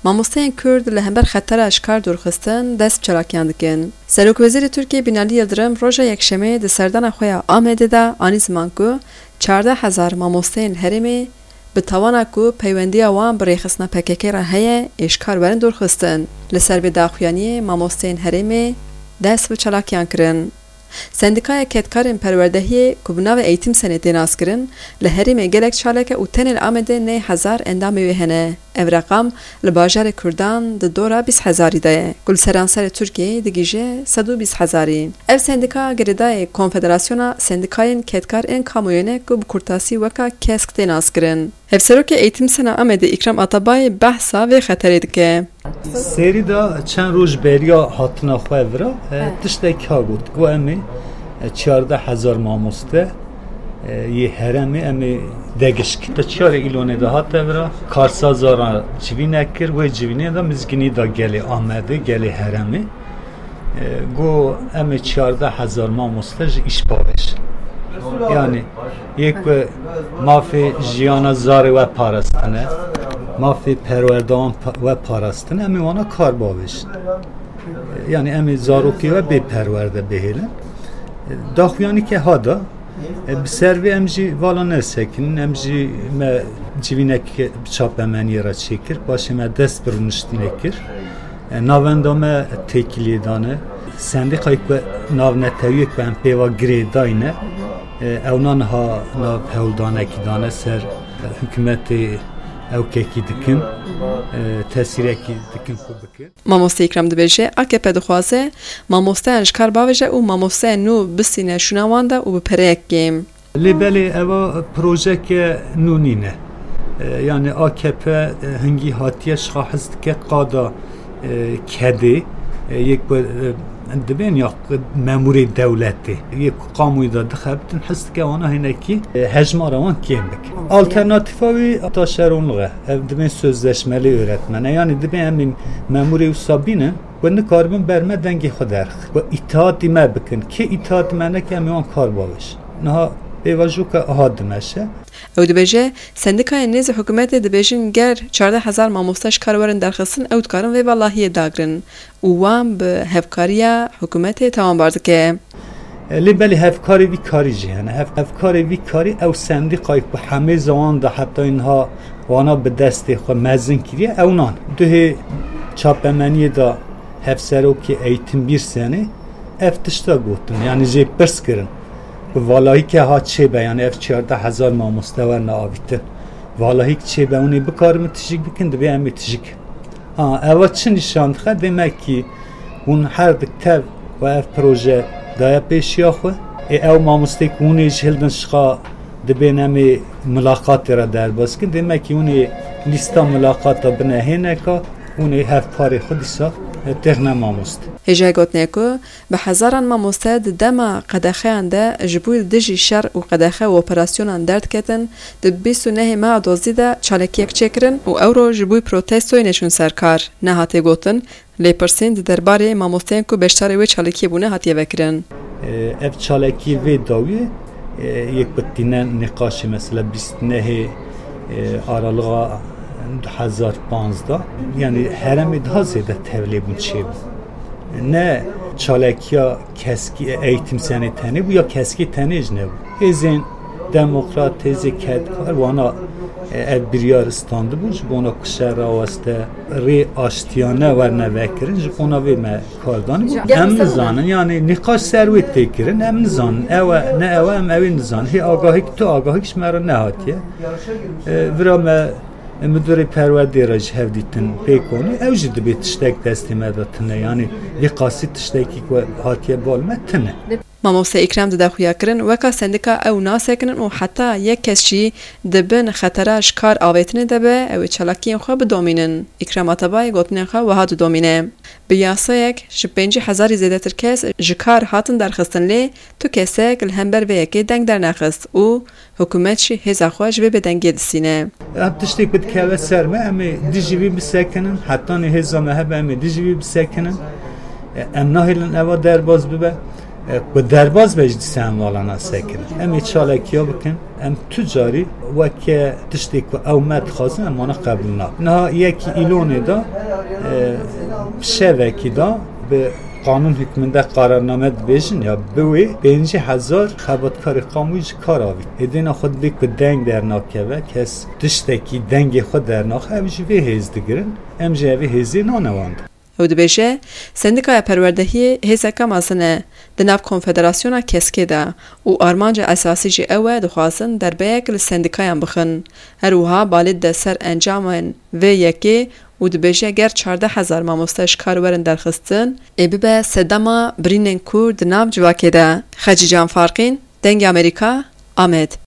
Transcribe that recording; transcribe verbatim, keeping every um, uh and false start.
Mamosteyên Kurd li hember xetera ji kar dûrxistin dest bi çalakiyan dikin. Serokwezîrê Tirkiyê Binalî Yildirim roja Yekşemê di serdana xwe ya Amedê de anî ziman ku çardeh hezar mamosteyên herêmê bi tawana ku peywendiya wan bi rêxistina P K K re heye ê ji kar werin dûrxistin. Li ser vê daxuyaniyê mamosteyên herêmê dest bi çalakiyan kirin. Sendîkaya Kedkarên Perwerdehiyê ku bi navê Eğitim Senê tê naskirin, li herêmê gelek çalek e û tenê li Amedê neh hezar endamê wê hene. Ev reqam li bajarê Kurdan di dora bîst hezarî de ye, ku li seranserê Tirkiyeyê digihîje sed û bîst hezarî. Ev sendîka girêdayê Konfederasyona Sendîkayên Kedkar ên Kamuoyê ne ku bi kurtasî weka KESK tê naskirin. Hevserokê Eğitim Sena Amedê Îkram Atabayê behsa vê xeterê dike. Serî de çend roj beriya hatina xwe vira, e, tiştek ha got, ku em ê, e, çardeh hezar mamoste, e, yê herêmê em ê degiş kin. Di çiyarê Îlonê de hate vira, karsaza re civînek kir, wê civînê de mizgînî da gelê Amedê, gelê herêmê. E, got, em ê çardeh hezar mamoste ji îş bavêjin. Yanî, yê ku mafê jiyana zarê we parastine, mafê perwerdewan pa-, we parastine, em ê wana kar bavêjin. Yanî, em ê zarokê we bê perwerde bihêlin. E, daxuyanî ke ha da, e, bi ser vê em jî vala nesekinin, em jî me civînek bi çapemeniyê re çêkir, paşê me dest bi rûniştinê kir. E, navenda me têkiliyê dane. Sendîqayê ku navnetewiyê ku em pê ve girêdayî ne, e, ewna niha nav hewldanekî dane ser, e, hikûmetê ewkekî dikin, e, tesîrekî dikin ku bikin. Mamoste Îkram dibêje, A K P dixwaze mamosteyan ji kar bavêje û mamosteyên nû bistîne şûna wan de û bi pereyek kêm. Lê belê eva projeke nû nîne. E, yanî A K P, e, hingî hatiye ji xwe hez dike qada, e, kedê, e, yê ku, e, dibên ya memûrê dewletê, yê ku kamuoyê de dixebitin, hez dike wana hinekî, e, hejmara wan kêm bike. Alternatîfa wî taşeronlix e. Ev dibên sözleşmeli öğretmen e. Yanî dibên em ê memûrê wisa bînin, ku nikaribin ber me dengê xwe derxin. Ku îtihatî me bikin. Kê îtihatî me neke, em ê wan kar bavêjin. Niha pêvajoka aha dimeşe. Ew dibêje, sendîkayên nêzî hikûmetê dibêjin ger çardeh hezar mamoste ji kar werin derxistin, ew dikarin vê valahiyê dagrin û wan bi hevkariya hikûmetê tawanbar dike. E, lê belê hevkarê vî karî jî hene. Hev-, hevkarê vî karî ew sendîqayê ku hemêza wan de heta niha wana bi destê xwe mezin kiriye, ew nan. Duhê çapemeniyê de hevserokê Eğitim Birsenê ev tişta gotin, yanî jê pirs kirin. Bi valahîke ha çêbe, yanî ev çardeh hezar mamoste werine avîtin. Valahîk çêbe, hûn ê bikaribin tijik bikin, divê em ê tijik. Ha, eva çi nîşan dixe? Demekî hûn her di tev ve ev proje daye pêşiya xwe. Ê ew mamosteyê ku hûn ê ji hildin şixa dibên em ê milaqatê re derbas kin. Demekî hûn ê lîsta milaqata bine hêneka, hûn ê hevparê xwe dîsa, e, têxine mamoste. Hêjayê gotinê ku bi hezaran mamoste di dema qedexeyan de ji bo dijî şer û qedexe û operasyonan derdiketin, di bîst û nehê meha Dozdî de çalakiyek çêkirin û ewro ji bo protestoyê neçûn ser kar. Nehatiye gotin, lêpirsîn di derbarê mamosteyên ku beşdarê wê çalakiyê bûne hatiye vekirin. Ev çalakiyê vê dawiyê, yê ku tîne nîqaşê mesela bîst nehê, e, aralığa du hezar panzdeh, yanî heremê daha zêde tevlêbûn çêbû. Ne çalakiya keskî Eğitim Senê tenê bû ya keskî tenê jî nebû. Hêzên demokrat, hêzê kedkar wana, e, ev biryar standibû ji bona ku şer raweste rê aştiyane werne vekirin, ji bona vê me kar danî. Em nizanin, yanî nîqaş ser wê tê kirin, em nizanin. Ew e, ne ew e, em ew ê nizanin. Hê agahîk, tu agahîk ji me re nehatiye. E, vira me, e, Midûrê Perwerdê re ji hev dîtin pê konî, ew jî dibê tiştek destê me de tune. Yanî vê qasî tiştekî ku hatiye bal me tune. Mamoste Îkram dide xuyakirin, weka sendîka ew nasekinin û heta yek kes jî di bin xetera ji kar avêtinê de be, ew ê çalakiyên xwe bidomînin. Îkram Atabayê gotinên xwe wiha didomîne. Bi yasayek ji pêncî hezarî zêdetir kes ji kar hatin derxistin, lê tu kesek li hember vê yekê deng dernexist û hikûmet jî hêza xwe ji vê bêdengiyê distîne. Ev tiştê ku dikeve ser me, em ê dijî vî bisekinin, hetanî hêza me hebe, em ê dijî vî bisekinin. Em nahêlin eva derbas bibe. Ku derbaz be ji dîsa hevalana sekin. Em ê çalekiya bikin. Em tu carî weke tiştê ku ew me dixwazin em wana qebûl nakin. Niha yekî îlonê da, e, şevekî da bi qanûn hikminde qararname dibêjin ya bi wê pêncî hezar xebatkarê qamûyî ji kar avî. Êdîna xwe dibê ku deng dernakeve, kes tiştekî dengê xwe dernaxe, ev ji vê hêz digirin. Em jî evê hêzê nane wan de. Ew dibêje, Sendîkaya Perwerdehiyê hêzeke mezin e di nav Konfederasyona Keskê de û armanca esasî jî ew e, dixwazin derbeyek li sendîkayan bixin. Her wiha balê dide ser encamên vê yekê û dibêje, ger çardeh hezar mamoste ji kar werin derxistin, ê bibe sedema birînên kûr di nav civakê de. Xecîcan Farqîn, Dengê Amerîka, Amed.